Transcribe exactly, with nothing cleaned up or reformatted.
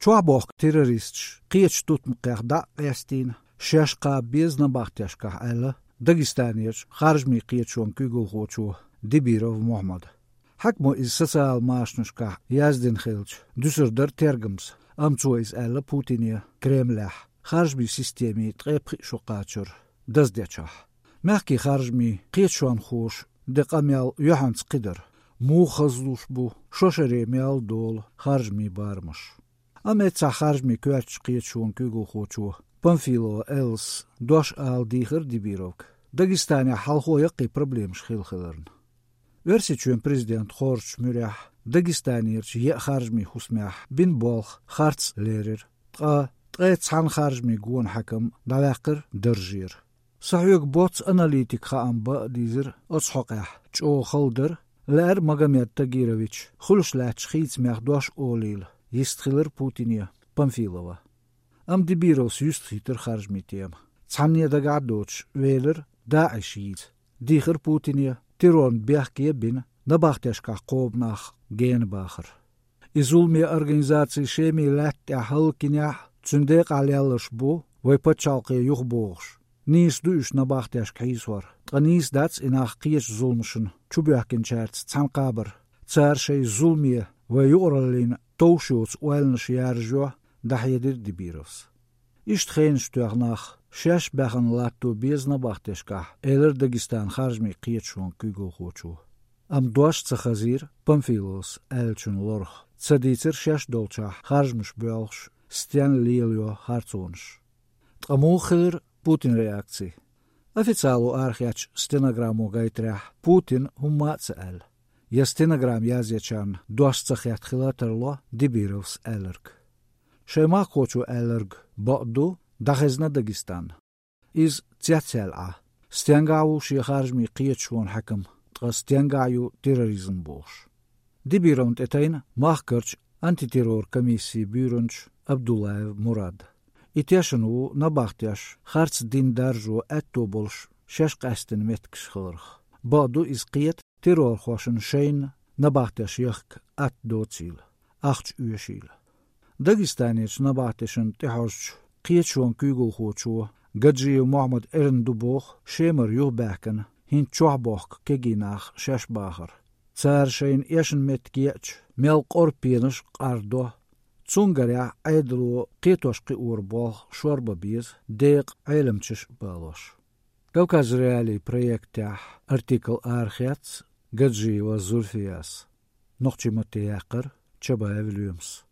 Чохь бохку террористаш кхечу тутмакхех дӀа а къестийна, шаьш кхаба беза набахтешкахь аьлла Дагестанерчу харжамийн кхеташонан куьйгалхочо Дибиров Мухьаммада. Хьаькамо иза социал машанашкахь яздина хилча, дуьсур дара тергамца, амма цо иза аьлла Путине Кремлехь, харжамийн системийн ткъе пхи шо кхачар даздечохь. Мехкийн харжамийн кхеташонхоша де къамел юьхьанца кхидара, муха хазлуш бу шо шаре мел долу харжамийн барамаш. Амма эццахь харжамийн коьртачу кхеташонан куьйгалхочо Памфилова Эллас дош ала дийхира Дибировга, Дагестанехь хьалхо яккхий проблемаш хилла хиларна. Оьрсийчоьнан президент хоржучу муьрехь Дагестанерчу еа харжамийн хӀусамехь бина болх харц лерира, ткъа ткъе цхьана харжамийн гонахьаькам дӀаваьккхира даржера. Сан хьоьга боцца аналитикан хаам бан а дийзира оцу хьокъехь, чӀогӀа хала дара, лаьара Магомед Тагирович хуьлуш лаьттачу хийцамех дош олийла, йистхилира Путине Памфилова. Амма Дибировс юьстахийтира харжамийн тема. Цхьанне дагахь а доцуш велира ДАИШ йийца. Дийхира Путине террорна бехке а бина, набахтешкахь кхобу нах гена бахар. И зуламе организаци Шеман лаьтта тӀехь хӀаллакйинехь а, цуьнан декъахь лелларш бу вай пачхьалкхе юхабогӀуш. Нийса ду уьш набахтешка хьийсор, ткъа нийса дац и нах кхечу зуламашна чубоьхкинчаьрца цхьаьна кхабар. Цара шайн зуламе вай юкъараллина товш йоцу ойланаш яржайо, дӀахьедира Дибировс. Иштта хенаш тоьхна нах шаьш баьхна латто беза набахтешкахь, элира Дагестанан харжамийн кхеташонан куьйгалхочо. Амма дош ца хазийра Памфиловс аьллачун лорах, ца дийцира шаьш долчохь харжамаш боьлхуш стенна лелайо харцонаш. Ткъа муха хилира Путинан реакци? Официало арахецначу стенограммо гайтарехь, Путина хӀумма а ца аьлла. Я стенограмма язъечарна дош ца хетта хила а тарло Дибировс аьлларг. Шайн махкахочо аьлларг бакъ ду, дӀахезна Дагестан. Иза цецъяьлла Ӏа, стенгахь ву шен харжамийн кхеташонан хьаькам, ткъа стенгахь ю терроризм бохуш. Дибировна тӀе тайна махкарчу антитеррор комиссин буьйранча Абдуллаев Мурада. И тешна ву набахтеш харц дин даржо аьтто болуш шаьш къаьстина меттигаш хиларх. Бакъ ду, иза кхета террорхошна шайна набахтеш яхка атта доцийла, ахча оьшийла. Дагестанерчу набахтешна тӀехьожучу кхеташонан куьйгалхочо Гаджиев Мухьаммада эрна ду боху Шемара юхабаьхкина хӀинца чохь бохку кегий нах шаьш бахар. Цара шайна эшна меттиг еача, мел къора пенаш къардо. Цунгарехь Ӏедало кхетош-кхиоран болх шорбан беза, декъа Ӏеламчаш а балош. Кавказ.Реалии проектехь артикл арахецна Гаджиева Зульфияс. Нохчийн матте яьккхира Чабаев Лоьмас.